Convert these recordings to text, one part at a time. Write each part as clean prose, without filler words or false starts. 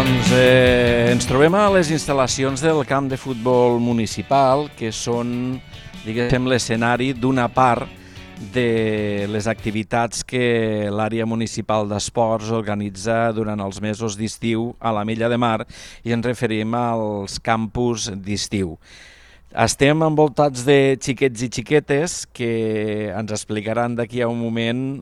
Doncs ens trobem a les instal·lacions del camp de futbol municipal, que són, diguéssim, l'escenari d'una part de les activitats que l'àrea municipal d'esports organitza durant els mesos d'estiu a l'Ametlla de Mar, i ens referim als campus d'estiu. Estem envoltats de xiquets i xiquetes que ens explicaran d'aquí a un moment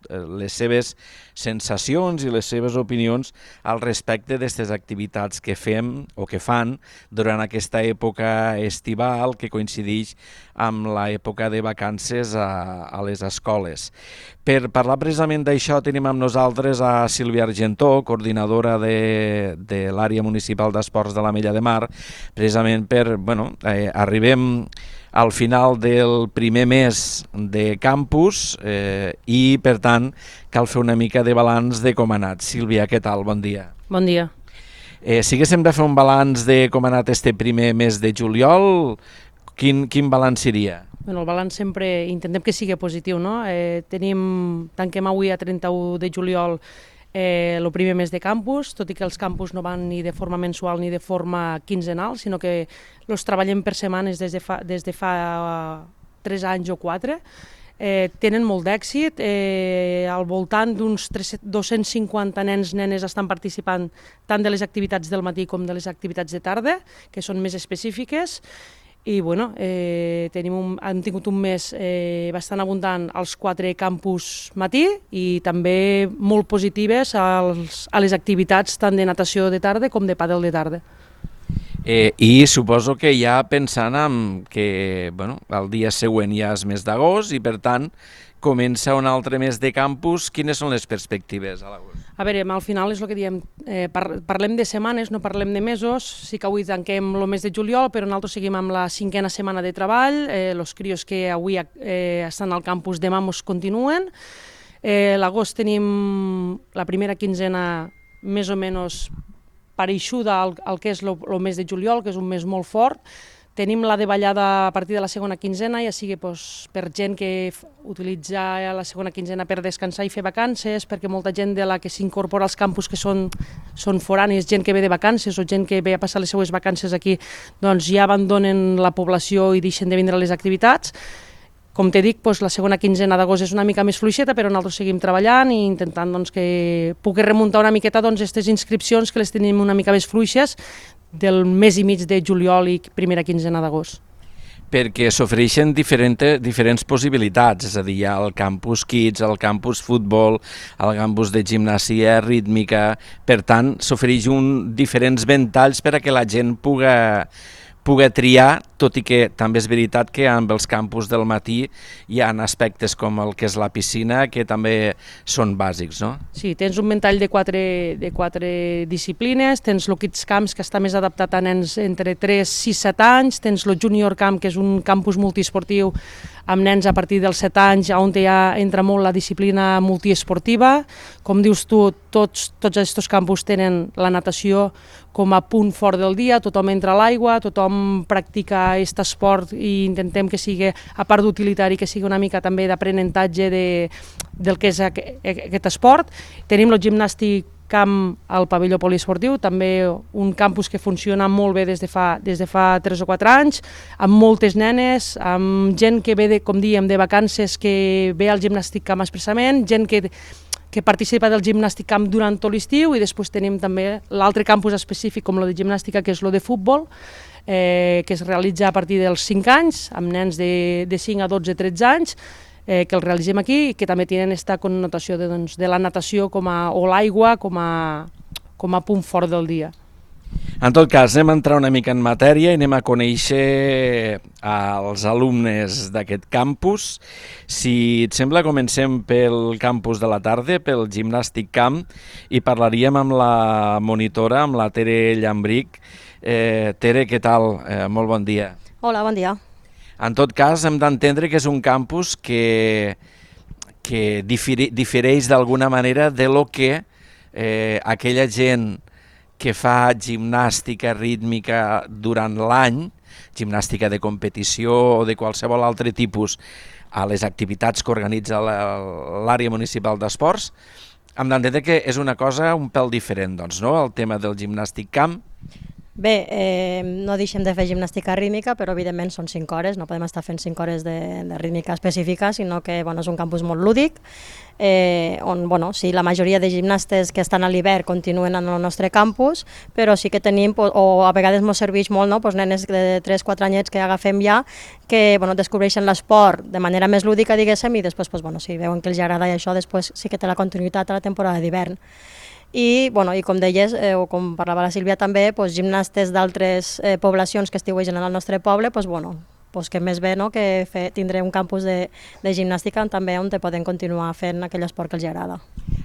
les seves sensacions i les seves opinions al respecte d'aquestes activitats que fem o que fan durant aquesta època estival que coincideix amb l'època de vacances a les escoles. Per parlar precisament d'això tenim amb nosaltres a Sílvia Argentó, coordinadora de l'àrea municipal d'esports de l'Ametlla de Mar, precisament arribem al final del primer mes de campus i, per tant, cal fer una mica de balanç de com ha anat. Sílvia, què tal? Bon dia. Bon dia. Si haguéssim de fer un balanç de com ha anat este primer mes de juliol, quin balanç seria? El balanç sempre intentem que sigui positiu, no? Tanquem avui a 31 de juliol el primer mes de campus, tot i que els campus no van ni de forma mensual ni de forma quinzenal, sinó que els treballem per setmanes des de fa 3 anys o 4. Tenen molt d'èxit, al voltant d'uns 250 nens nenes estan participant tant de les activitats del matí com de les activitats de tarda, que són més específiques. I hem tingut un mes bastant abundant als 4 campus matí i també molt positives a les activitats tant de natació de tarda com de pàdel de tarda. I suposo que ja pensant que el dia següent ja és mes d'agost i per tant comença un altre mes de campus. Quines són les perspectives a l'agost? A veure, al final és el que diem, parlem de setmanes, no parlem de mesos. Sí que avui tanquem el mes de juliol, però nosaltres seguim amb la 5a setmana de treball. Els crios que avui estan al campus demà ens continuen. L'agost tenim la primera quinzena més o menys pareixuda al que és el mes de juliol, que és un mes molt fort. Tenim la davallada a partir de la segona quinzena, ja sigui per gent que utilitza la segona quinzena per descansar i fer vacances, perquè molta gent de la que s'incorpora als campus que són foranis, gent que ve de vacances o gent que ve a passar les seues vacances aquí, doncs ja abandonen la població i deixen de vindre a les activitats. Com t'he dit, la segona quinzena d'agost és una mica més fluixeta, però nosaltres seguim treballant i intentant que pugui remuntar una miqueta aquestes inscripcions que les tenim una mica més fluixes del mes i mig de juliol i primera quinzena d'agost. Perquè s'ofereixen diferents possibilitats, és a dir, hi ha el campus Kids, el campus futbol, el campus de gimnàsia rítmica, per tant s'ofereix diferents ventalls per a que la gent pugui triar, tot i que també és veritat que amb els campus del matí hi ha aspectes com el que és la piscina que també són bàsics, no? Sí, tens un ventall de quatre disciplines, tens el Kids Camps, que està més adaptat a nens entre 3, 6, 7 anys, tens el Junior Camp, que és un campus multiesportiu amb nens a partir dels 7 anys, on ja entra molt la disciplina multiesportiva. Com dius tu, tots aquests campus tenen la natació com a punt fort del dia, tothom entra a l'aigua, tothom practica aquest esport i intentem que sigui, a part d'utilitari, que sigui una mica també d'aprenentatge del que és aquest esport. Tenim el gimnàstic camp al pavelló poliesportiu, també un campus que funciona molt bé des de fa 3 o 4 anys, amb moltes nenes, amb gent que ve, com dèiem, de vacances, que ve al gimnàstic camp expressament, gent que participa del gimnàstic camp durant tot l'estiu, i després tenim també l'altre campus específic com el de gimnàstica, que és el de futbol, que es realitza a partir dels 5 anys, amb nens de 5 a 12, 13 anys, que el realitzem aquí i que també tenen aquesta connotació de la natació o l'aigua com a punt fort del dia. En tot cas, anem a entrar una mica en matèria i anem a conèixer els alumnes d'aquest campus. Si et sembla, comencem pel campus de la tarda, pel gimnàstic camp, i parlaríem amb la monitora, amb la Tere Llambric. Tere, què tal? Molt bon dia. Hola, bon dia. En tot cas, hem d'entendre que és un campus que difereix d'alguna manera de lo que aquella gent que fa gimnàstica rítmica durant l'any, gimnàstica de competició o de qualsevol altre tipus, a les activitats que organitza l'àrea municipal d'esports, Hem d'entendre que és una cosa un pèl diferent, doncs, no?, el tema del gimnàstic camp. Bé, no deixem de fer gimnàstica rítmica, però evidentment són 5 hores, no podem estar fent 5 hores de rítmica específica, sinó que és un campus molt lúdic, on sí, la majoria de gimnastes que estan a l'hivern continuen en el nostre campus, però sí que tenim, o a vegades ens serveix molt, nenes de 3-4 anyets que agafem ja, que descobreixen l'esport de manera més lúdica, diguéssim, i després, si veuen que els agrada i això, després sí que té la continuïtat a la temporada d'hivern. I com deies, o com parlava la Sílvia també, gimnastes d'altres poblacions que estiuegen en el nostre poble, que més bé que tindré un campus de gimnàstica també on poden continuar fent aquell esport que els agrada.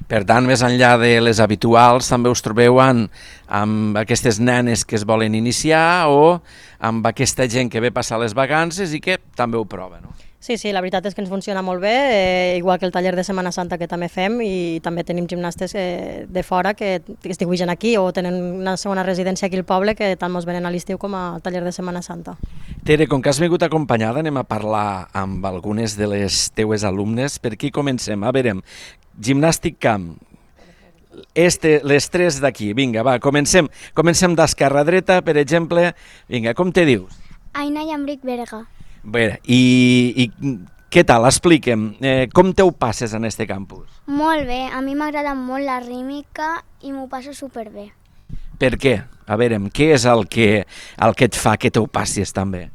Per tant, més enllà de les habituals, també us trobeu amb aquestes nenes que es volen iniciar o amb aquesta gent que ve passar les vacances i que també ho prova, no? Sí, la veritat és que ens funciona molt bé, igual que el taller de Setmana Santa que també fem, i també tenim gimnastes de fora que estiuegen aquí o tenen una segona residència aquí al poble que tant ens venen a l'estiu com al taller de Setmana Santa. Tere, com que has vingut acompanyada, anem a parlar amb algunes de les teues alumnes. Per aquí comencem. A veure, gimnàstic camp. Les tres d'aquí. Vinga, va, comencem d'esquerra a dreta, per exemple. Vinga, com te dius? Aina Llambric Berga. Bé, i què tal? Expliquem, com te ho passes en este campus? Molt bé, a mi m'agrada molt la rítmica i m'ho passo superbé. Per què? A veure, què és el que et fa que te ho passis tan bé?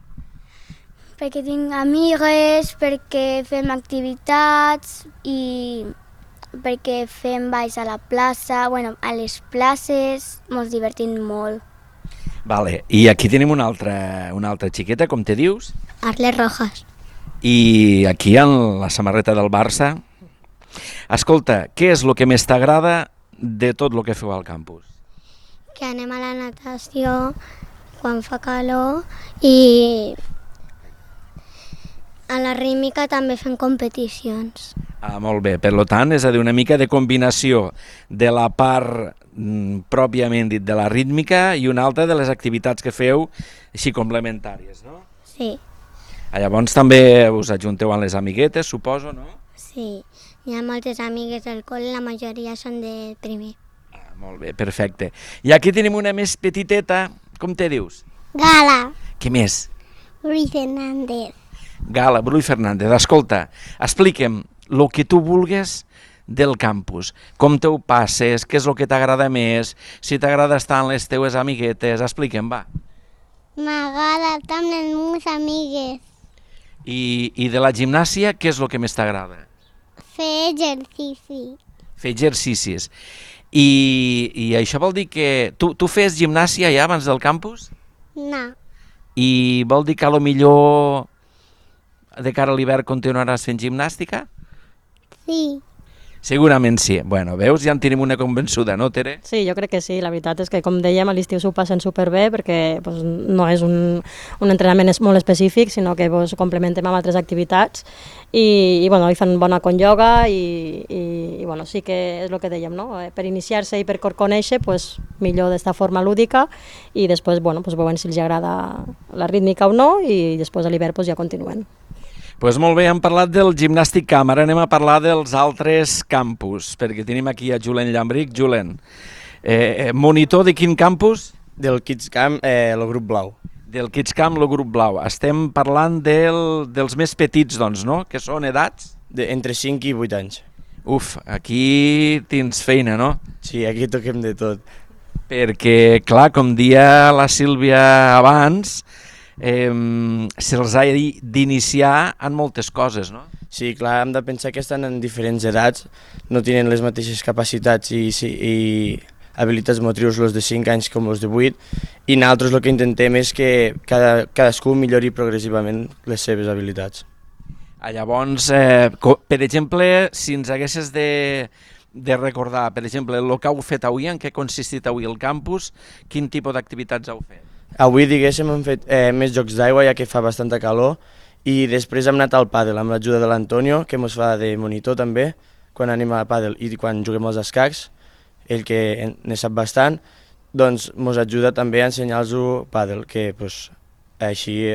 Perquè tinc amigues, perquè fem activitats i perquè fem balls a la plaça, a les places, ens divertim molt. Vale, i aquí tenim una altra xiqueta, com te dius? Arles Rojas. I aquí en la samarreta del Barça. Escolta, què és el que més t'agrada de tot el que feu al campus? Que anem a la natació quan fa calor i a la rítmica també fem competicions. Molt bé, per tant, és a dir, una mica de combinació de la part pròpiament dit de la rítmica i una altra de les activitats que feu així complementàries, no? Sí. Llavors també us ajunteu amb les amiguetes, suposo, no? Sí, hi ha moltes amigues del col·le, la majoria són de primer. Molt bé, perfecte. I aquí tenim una més petiteta, com te dius? Gala. Què més? Ruiz Hernández. Gala, Bru i Fernández. Escolta, explica'm el que tu vulgues del campus. Com te ho passes, què és el que t'agrada més, si t'agrada estar amb les teues amiguetes, explica'm, va. M'agrada estar amb les meves amigues. I de la gimnàsia, què és el que més t'agrada? Fer exercici. Fer exercicis. I això vol dir que tu fes gimnàsia ja abans del campus? No. I vol dir que a lo millor de cara a l'hivern continuaràs fent gimnàstica? Sí. Segurament sí. Bueno, veus, ja en tenim una convençuda, no, Tere? Sí, jo crec que sí. La veritat és que, com dèiem, a l'estiu s'ho passen superbé perquè no és un entrenament molt específic, sinó que complementem amb altres activitats i hi fan bona con ioga i sí que és el que dèiem, no? Per iniciar-se i per conèixer, millor d'esta forma lúdica i després veuen si els agrada la rítmica o no i després a l'hivern ja continuen. Doncs molt bé, hem parlat del gimnàstic camp, ara anem a parlar dels altres campus, perquè tenim aquí a Julen Llambric. Julen, monitor de quin campus? Del Kids Camp, el grup blau. Del Kids Camp, el grup blau. Estem parlant dels més petits, doncs, no?, que són edats? Entre 5 i 8 anys. Uf, aquí tens feina, no? Sí, aquí toquem de tot. Perquè, clar, com dia la Sílvia abans, se'ls ha d'iniciar en moltes coses, no? Sí, clar, hem de pensar que estan en diferents edats, no tenen les mateixes capacitats i habilitats motrius els de 5 anys com els de 8, i nosaltres el que intentem és que cadascú millori progressivament les seves habilitats. Llavors, per exemple, si ens haguessis de recordar, per exemple, el que heu fet avui, en què ha consistit avui el campus, quin tipus d'activitats heu fet? Avui, diguéssim, hem fet més jocs d'aigua, ja que fa bastanta calor, i després hem anat al pàdel amb l'ajuda de l'Antonio, que ens fa de monitor també, quan anem a pàdel i quan juguem als escacs, ell que ne sap bastant, doncs ens ajuda també a ensenyar-los pàdel, que així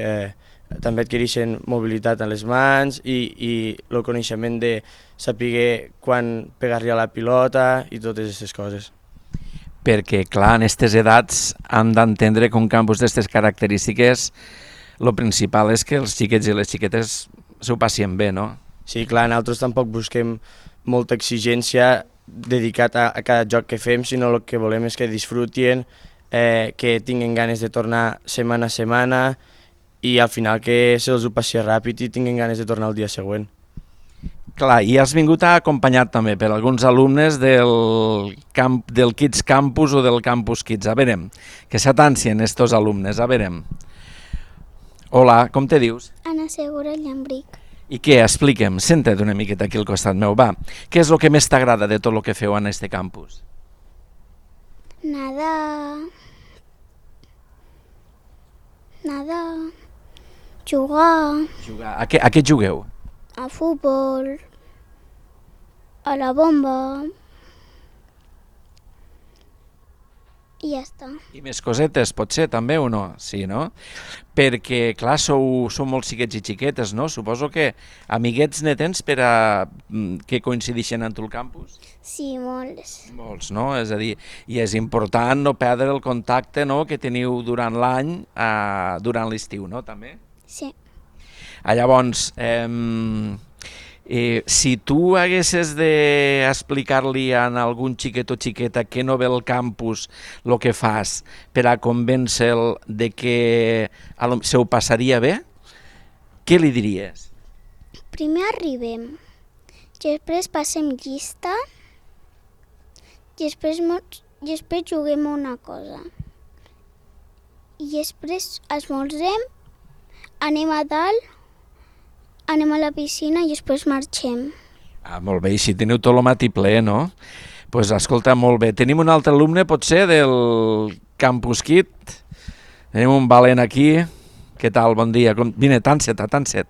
també adquireixen mobilitat en les mans i el coneixement de saber quan pegar-li a la pilota i totes aquestes coses. Perquè, clar, en aquestes edats hem d'entendre que un campus d'aquestes característiques el principal és que els xiquets i les xiquetes s'ho passin bé, no? Sí, clar, nosaltres tampoc busquem molta exigència dedicat a cada joc que fem, sinó el que volem és que disfrutin, que tinguin ganes de tornar setmana a setmana i al final que se'ls ho passi ràpid i tinguin ganes de tornar el dia següent. Clar, i has vingut acompanyat també per alguns alumnes del Kids Campus o del Campus Kids. A veure, que s'atancien estos alumnes, a veure. Hola, com te dius? Ana Segura Llambric. I què? Expliquem, senta't una miqueta aquí al costat meu, va. Què és el que més t'agrada de tot el que feu en este campus? Nadar, jugar, A què jugueu? a futbol, a la bomba i ja està. I més cosetes, potser, també o no? Sí, no? Perquè, clar, sou molts xiquets i xiquetes, no? Suposo que amiguets ne tens per a que coincideixen en tu el campus? Sí, molts. Molts, no? És a dir, i és important no perdre el contacte, no?, que teniu durant l'any, durant l'estiu, no?, també? Sí. Llavors, si tu haguessis d'explicar-li a algun xiquet o xiqueta que no ve al campus el que fas per a convèncer-lo de que se ho passaria bé, què li diries? Primer arribem, després passem llista i després juguem a una cosa. I després esmorzem, anem a dalt, anem a la piscina i després marxem. Molt bé, i si teniu tot el matí ple, no? Doncs escolta, molt bé. Tenim un altre alumne, potser, del Campus Kid. Tenim un valent aquí. Què tal? Bon dia. Vine, tanset.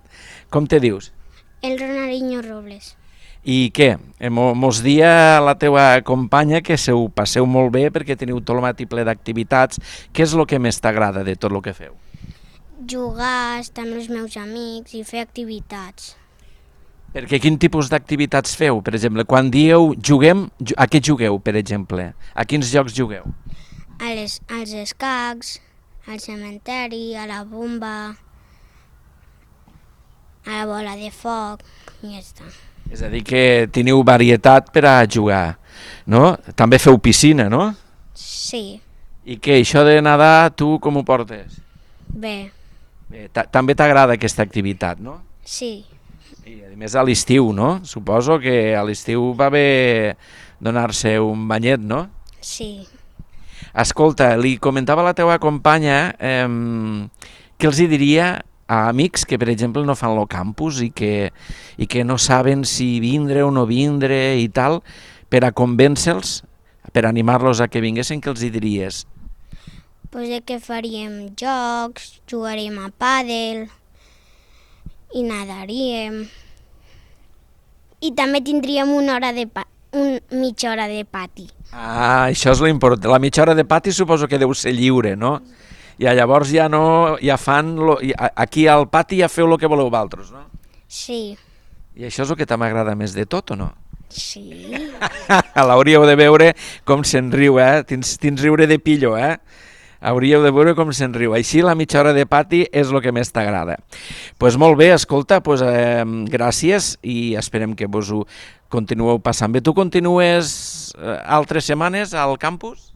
Com te dius? El Ronaldinho Robles. I què? Mos dia la teua companya que se ho passeu molt bé perquè teniu tot el matí ple d'activitats. Què és el que més t'agrada de tot el que feu? Jugar, estar amb els meus amics i fer activitats. Perquè quin tipus d'activitats feu? Per exemple, quan dieu juguem, a què jugueu, per exemple? A quins jocs jugueu? Als escacs, al cementeri, a la bomba, a la bola de foc i ja està. És a dir, que teniu varietat per a jugar, no? També feu piscina, no? Sí. I què, això de nedar, tu com ho portes? Bé. Bé, també t'agrada aquesta activitat, no? Sí. I a més a l'estiu, no? Suposo que a l'estiu va bé donar-se un banyet, no? Sí. Escolta, li comentava a la teua companya què els hi diria a amics que, per exemple, no fan el campus i que no saben si vindre o no vindre i tal, per a convèncer-los, per animar-los a que vinguessin, què els hi diries? Pues que faríem jocs, jugaríem a pàdel i nadaríem. I també tindríem mitja hora de pati. Això és l'important. La mitja hora de pati suposo que deu ser lliure, no? I llavors ja fan... Aquí al pati ja feu el que voleu vosaltres, no? Sí. I això és el que t'agrada més de tot, o no? Sí. L'hauríeu de veure com se'n riu, eh? Tens riure de pillo, eh? Hauríeu de veure com se'n riu. Així la mitja hora de pati és el que més t'agrada. Doncs molt bé, escolta, gràcies i esperem que vos ho continueu passant bé. Tu continues altres setmanes al campus?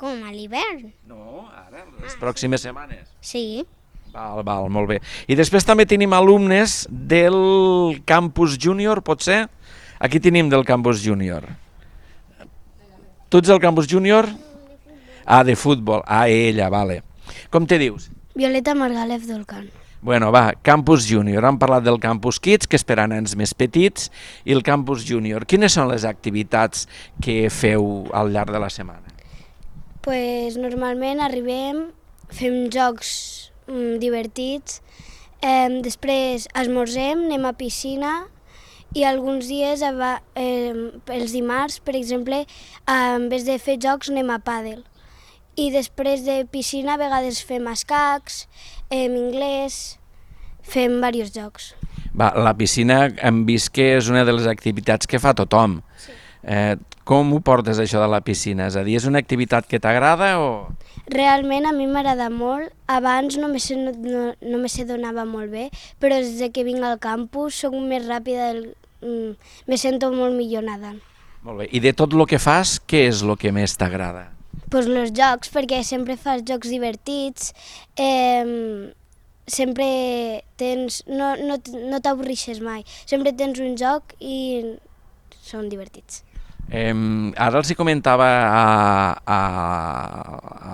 Com, a l'hivern? No, ara, les pròximes setmanes. Sí. Val, molt bé. I després també tenim alumnes del campus júnior, potser? Aquí tenim del campus júnior. Tu ets del campus júnior? De futbol. Ella, vale. Com te dius? Violeta Margalef Dolcan. Bueno, va, campus júnior. Hem parlat del campus kids, que és per a nens més petits, i el campus júnior. Quines són les activitats que feu al llarg de la setmana? Pues normalment arribem, fem jocs divertits, després esmorzem, anem a piscina i alguns dies, els dimarts, per exemple, en vez de fer jocs anem a pàdel. I després de piscina a vegades fem escacs, anglès fem diversos jocs. Va, la piscina hem vist que és una de les activitats que fa tothom. Sí. Com ho portes això de la piscina? És a dir, és una activitat que t'agrada o...? Realment a mi m'agrada molt. Abans no me se donava molt bé, però des que vinc al campus soc més ràpida, me sento molt millor nedant. Molt bé. I de tot el que fas, què és el que més t'agrada? Pues els jocs, perquè sempre fas jocs divertits, sempre tens, no t'avorrixes mai, sempre tens un joc i són divertits. Ara els hi comentava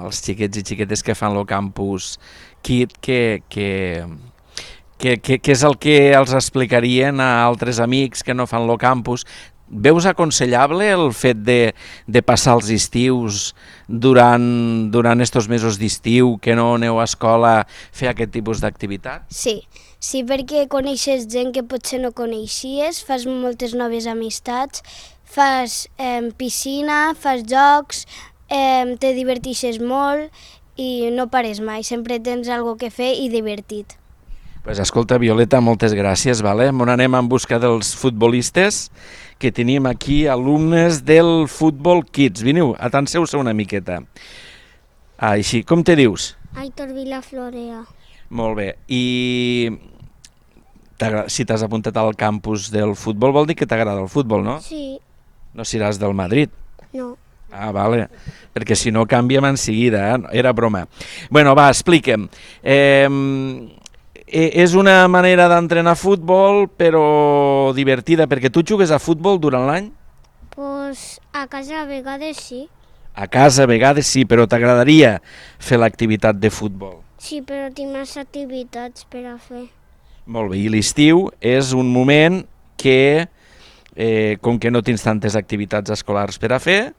als xiquets i xiquetes que fan el campus KID que és el que els explicarien a altres amics que no fan el campus. Veus aconsellable el fet de passar els estius durant estos mesos d'estiu, que no aneu a escola, fer aquest tipus d'activitat? Sí, perquè coneixes gent que potser no coneixies, fas moltes noves amistats, fas piscina, fas jocs, te divertixes molt i no pares mai, sempre tens alguna que fer i divertit. Pues escolta, Violeta, moltes gràcies. Vale? Anem en busca dels futbolistes, que tenim aquí alumnes del Futbol Kids. Vineu, atanseu-se una miqueta. Així, com te dius? Aitor Vilaflorea. Molt bé. I si t'has apuntat al campus del futbol vol dir que t'agrada el futbol, no? Sí. No seràs del Madrid? No. Ah, vale. Perquè si no canviem en seguida, era broma. Bueno, va, explica'm. És una manera d'entrenar futbol, però divertida, perquè tu jugues a futbol durant l'any? Pues a casa a vegades sí. A casa a vegades sí, però t'agradaria fer l'activitat de futbol? Sí, però tinc més activitats per a fer. Molt bé, i l'estiu és un moment que, com que no tens tantes activitats escolars per a fer,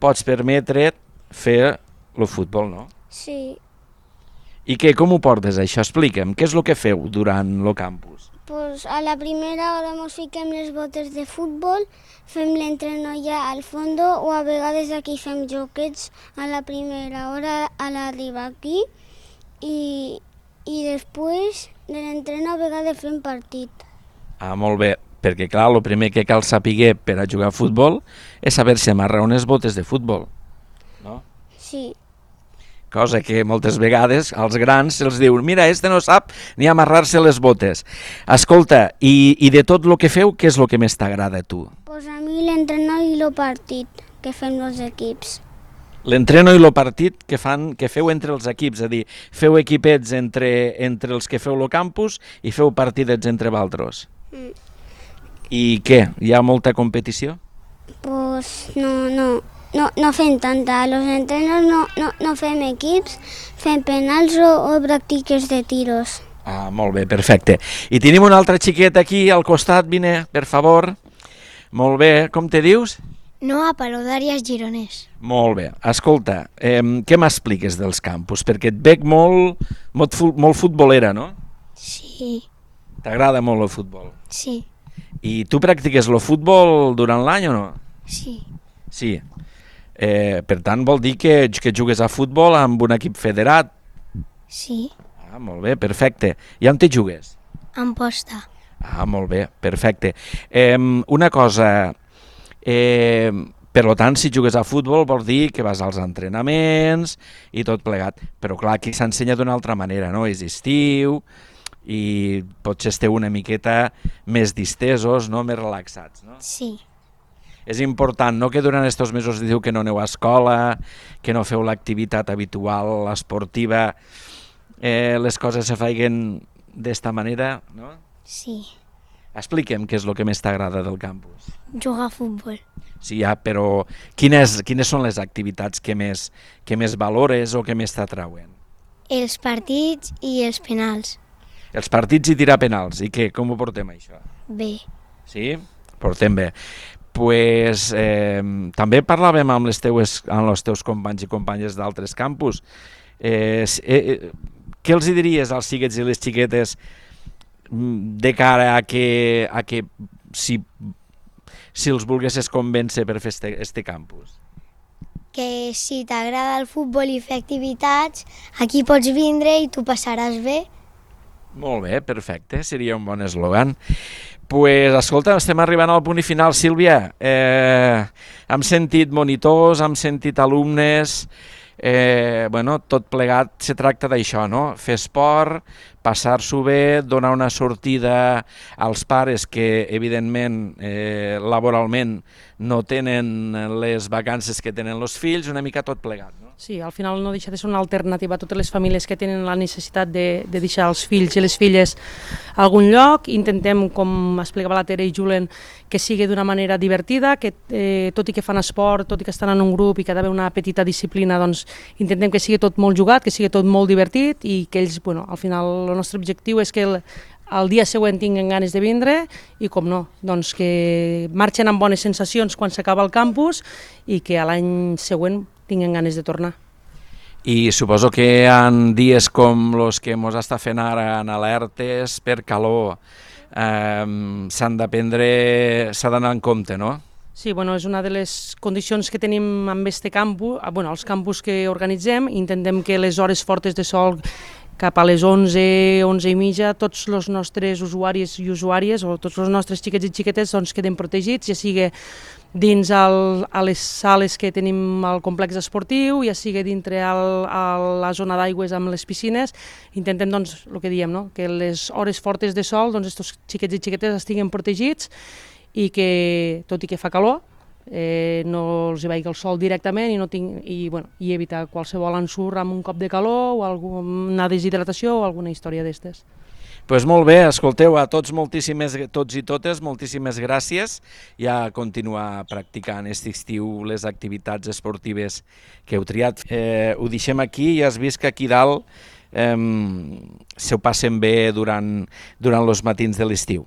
pots permetre't fer el futbol, no? Sí. I com ho portes, això? Explica'm, què és el que feu durant el campus? Pues a la primera hora ens fiquem les botes de futbol, fem l'entreno ja al fondo o a vegades aquí fem joquets a la primera hora a l'arribar aquí i després de l'entreno a vegades fem partit. Ah, molt bé, perquè clar, el primer que cal saber per a jugar a futbol és saber-se amarrar unes botes de futbol, no? Sí. Cosa que moltes vegades als grans se'ls diu mira, este no sap ni amarrar-se les botes. Escolta, i de tot el que feu, què és el que més t'agrada a tu? Pues a mi l'entreno i el partit que fem els equips. L'entreno i el partit que feu entre els equips, és a dir, feu equipets entre els que feu el campus i feu partidets entre vosaltres. I què? Hi ha molta competició? Pues no fem tanta. A los entrenos no fem equips, fem penals o pràctiques de tiros. Ah, molt bé, perfecte. I tenim una altra xiqueta aquí al costat, vine, per favor. Molt bé, com te dius? Noa Palou d'Àries Gironès. Molt bé. Escolta, què m'expliques dels campus? Perquè et veig molt futbolera, no? Sí. T'agrada molt el futbol? Sí. I tu practiques el futbol durant l'any o no? Sí. Sí. Per tant, vol dir que jugues a futbol amb un equip federat? Sí. Ah, molt bé, perfecte. I on te jugues? Amposta. Ah, molt bé, perfecte. Una cosa, per tant, si jugues a futbol vol dir que vas als entrenaments i tot plegat, però clar, aquí s'ensenya d'una altra manera, no? És estiu i potser esteu una miqueta més distesos, no? Més relaxats, no? Sí. És important, no?, que durant aquests mesos diu que no aneu a escola, que no feu l'activitat habitual, esportiva, les coses se feien d'esta manera, no? Sí. Expliquem què és el que més t'agrada del campus. Jugar a futbol. Sí, ja, però quines són les activitats que més valores o que més t'atrauen? Els partits i els penals. Els partits i tirar penals. I què? Com ho portem, això? Bé. Sí? Portem bé. Pues, també parlàvem amb els teus companys i companyes d'altres campus. Què els diries als xiquets i les xiquetes de cara a que si els volguessis convèncer per fer este campus? Que si t'agrada el futbol i fer activitats, aquí pots vindre i tu passaràs bé. Molt bé, perfecte, seria un bon eslògan. Pues, escolta, estem arribant al punt i final. Sílvia, hem sentit monitors, hem sentit alumnes, tot plegat se tracta d'això, no? Fer esport, passar-s'ho bé, donar una sortida als pares que, evidentment, laboralment no tenen les vacances que tenen els fills, una mica tot plegat, no? Sí, al final no deixa de ser una alternativa a totes les famílies que tenen la necessitat de deixar els fills i les filles a algun lloc. Intentem, com explicava la Tere i Julen, que sigui d'una manera divertida, que tot i que fan esport, tot i que estan en un grup i que ha d'haver una petita disciplina, doncs intentem que sigui tot molt jugat, que sigui tot molt divertit i que ells, al final, el nostre objectiu és que el dia següent tinguen ganes de vindre i, com no, doncs que marxen amb bones sensacions quan s'acaba el campus i que a l'any següent tinguen ganes de tornar. I suposo que en dies com els que ens està fent ara en alertes per calor s'ha d'anar en compte, no? Sí, és una de les condicions que tenim amb aquest campus, els campus que organitzem. Intentem que les hores fortes de sol cap a les 11, 11 i mitja, tots els nostres usuaris i usuàries o tots els nostres xiquets i xiquetes queden protegits, ja sigui dins a les sales que tenim al complex esportiu, ja sigui dintre a la zona d'aigües amb les piscines. Intentem, el que diem, no? Que les hores fortes de sol, aquests xiquets i xiquetes estiguin protegits i que, tot i que fa calor, no els hi vagi el sol directament i evitar qualsevol ensurt amb un cop de calor o alguna deshidratació o alguna història d'estes. Doncs molt bé, escolteu, a tots i totes, moltíssimes gràcies i a continuar practicant aquest estiu les activitats esportives que heu triat. Ho deixem aquí i has vist que aquí dalt se ho passen bé durant els matins de l'estiu.